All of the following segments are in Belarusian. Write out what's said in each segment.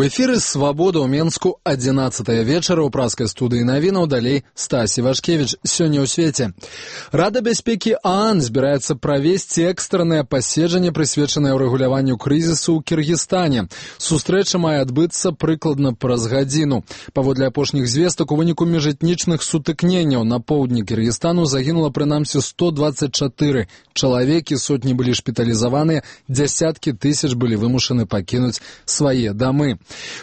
У эфіры «Свабода» ў Менску 11-е вечара ў праскай студыі навінаў, далей Стасі Вашкевіч. Сёння ў свеце. Рада бяспекі ААН збіраецца правесці экстраннае паседжанне, прысвечанае ўрэгуляванню крызісу ў Кіргізстане. Сустрэча мае адбыцца прыкладна праз гадзіну. Паводле апошніх звестак, у выніку міжэтнічных сутыкненняў на поўдні Кіргізстану загінула прынамсі 124 чалавекі, сотні былі шпіталізаваныя, дзясяткі тысяч былі вымушаны пакінуць свае дамы.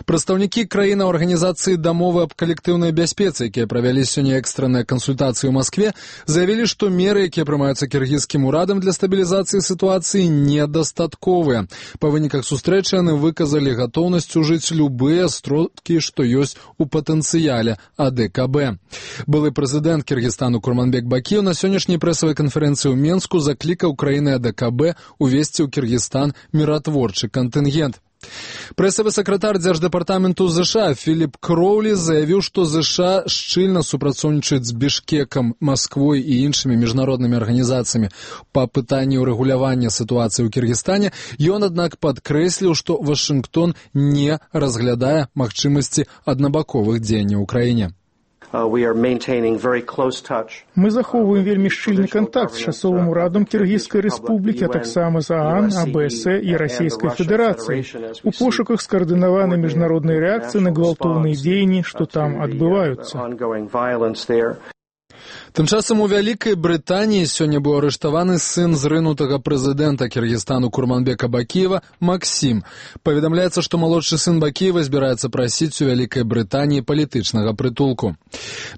Прадстаўнікі краін Арганізацыі дамовы аб калектыўнай бяспецы, якія правялі сёння экстранныя кансультацыі ў Маскве, заявілі, што меры, якія прымаюцца кіргізскім урадам для стабілізацыі сітуацыі, недастатковыя. Па выніках сустрэчы яны выказалі гатоўнасць ужыць любыя сродкі, што ёсць у патэнцыяле АДКБ. Былы прэзідэнт Кіргізстану Курманбек Бакиев на сённяшняй прэсавай канферэнцыі ў Менску заклікаў краіны АДКБ увесці ў Кіргізстан міратворчы кантынгент. Прэсавы сакратар Дзярждэпартаменту ЗША Філіп Кроўлі заявіў, што ЗША шчыльна супрацоўнічаюць з Бішкекам, Масквой і іншымі міжнароднымі арганізацыямі па пытанні ўрэгулявання сітуацыі ў Кіргізстане. Ён, аднак, падкрэсліў, што Вашынгтон не разглядае магчымасці аднабаковых дзеянняў у краіне. Мы захоўваем вельмі шчыльны кантакт з часовым урадам Кіргізскай рэспублікі, а таксама з ААН, АБС і Расійскай Федэрацыі у пошуках скаардынаванай міжнароднай рэакцыі на гвалтоўныя дзеянні, што там адбываюцца. Тым часам у Вялікай Брытаніі сёння быў арыштаваны сын зрынутага прэзідэнта Кіргізстану Курманбека Бакиева Максім. Паведамляецца, што малодшы сын Бакиева збіраецца прасіць у Вялікай Брытаніі палітычнага прытулку.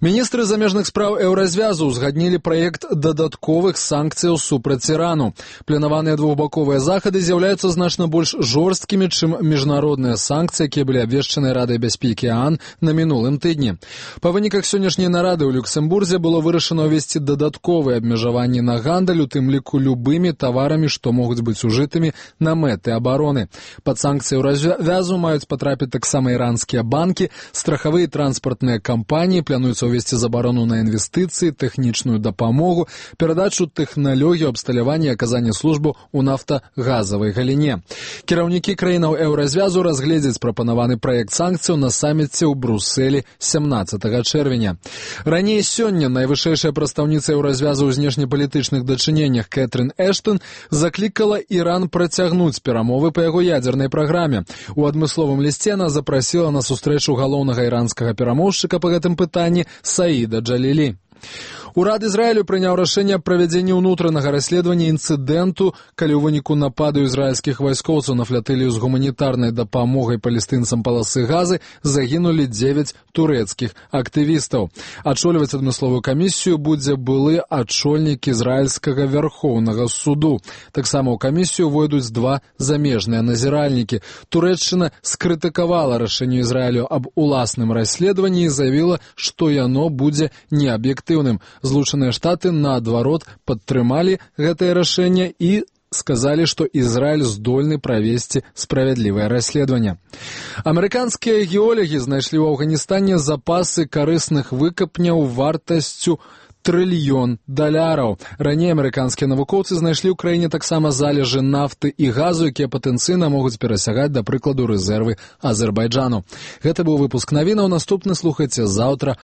Міністры замежных спраў Еўразвязу ўзгаднілі праект дадатковых санкцыяў супраць Ірану. Планаваныя двухбаковыя захады з'яўляюцца значна больш жорсткімі, чым міжнародныя санкцыі, якія былі абвешчаны Радай бяспекі ААН на мінулым тыдні. Па выніках сённяшняй нарады ў Люксембурзе было вырашана ўвесці дадатковыя абмежаванні на гандаль, у тым ліку любымі таварамі, што могуць быць ужытымі на мэты абароны. Пад санкцыі Еўразвязу маюць патрапіць таксама іранскія банкі, страхавыя і транспартныя кампаніі, плануецца ўвесці забарону на інвестыцыі, тэхнічную дапамогу, перадачу тэхналогію абсталявання і аказання службу ў нафтагазавай галіне. Кіраўнікі краінаў Еўразвязу разгледзяць прапанаваны праект санкцыяў на саміце ў Брусэлі 17 чэрвеня. Раней сёння найвышэйшая прадстаўніца Еўразвязу ў знешнепалітычных дачыненнях Кэтрын Эштон заклікала Іран працягнуць перамовы па яго ядзернай праграме. У адмысловым лісце она запрасіла на сустрэчу галоўнага іранскага перамоўшчыка па гэтым пытанні Саіда Джалілі. Урад Ізраілю прыняў рашэнне аб правядзенні ўнутранага расследавання інцыдэнту, калі ў выніку нападу ізраільскіх вайскоўцаў на флатылію з гуманітарнай дапамогай палестынцам паласы Газы загінулі 9 турэцкіх актывістаў. Ачоліваць адмысловую камісію будзе былы ачольнік ізраільскага вярхоўнага суду. Таксама ў камісію войдуць 2 замежныя назіральнікі. Турэччына скрытыкавала рашэнне Ізраілю аб уласным расследаванні і заявіла, што яно будзе неаб'ектыўным. Злучаныя Штаты, наадварот, падтрымалі гэтае рашэнне і сказалі, што Ізраіль здольны правесці справядлівае расследаванне. Амерыканскія геолагі знайшлі ў Афганістане запасы карысных выкапняў вартасцю $1 трыльён. Раней амерыканскія навукоўцы знайшлі ў краіне таксама залежы нафты і газу, якія патэнцыйна могуць перасягаць, да прыкладу, рэзервы Азербайджану. Гэта быў выпуск навінаў. Наступны слухайце заўтра